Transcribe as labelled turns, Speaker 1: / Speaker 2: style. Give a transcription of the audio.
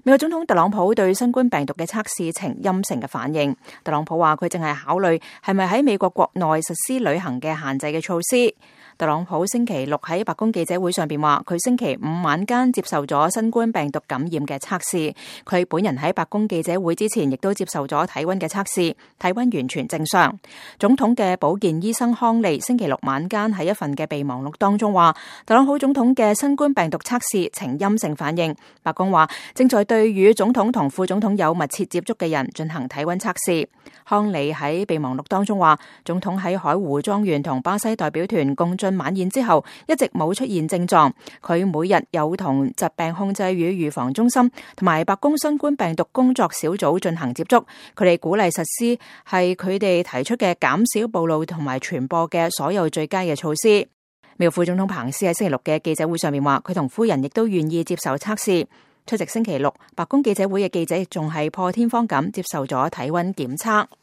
Speaker 1: 美國總統特朗普對新冠病毒嘅測試呈陰性嘅反應。特朗普話佢正係考慮係咪喺美國國內實施旅行嘅限制嘅措施。特朗普星期六喺白宮記者會上邊話，佢星期五晚間接受咗新冠病毒感染嘅測試。佢本人喺白宮記者會之前亦都接受咗體溫嘅測試，體溫完全正常。總統嘅保健醫生康利星期六晚間喺一份嘅備忘錄當中話，特朗普總統嘅新冠病毒測試呈陰性反應。白宮話正在對與總統同副總統有密切接觸嘅人進行體溫測試。康利喺備忘錄當中話，總統喺海湖莊園同巴西代表團共進晚宴之後，一直冇出現症狀。佢每日有同疾病控制與預防中心同埋白宮新冠病毒工作小組進行接觸，佢哋鼓勵實施係佢哋提出嘅減少暴露同埋傳播嘅所有最佳嘅措施。美國副總統彭斯喺星期六嘅記者會上面話，佢同夫人亦都願意接受測試。出席星期六白宮記者會嘅記者亦仲係破天荒咁接受咗體溫檢測。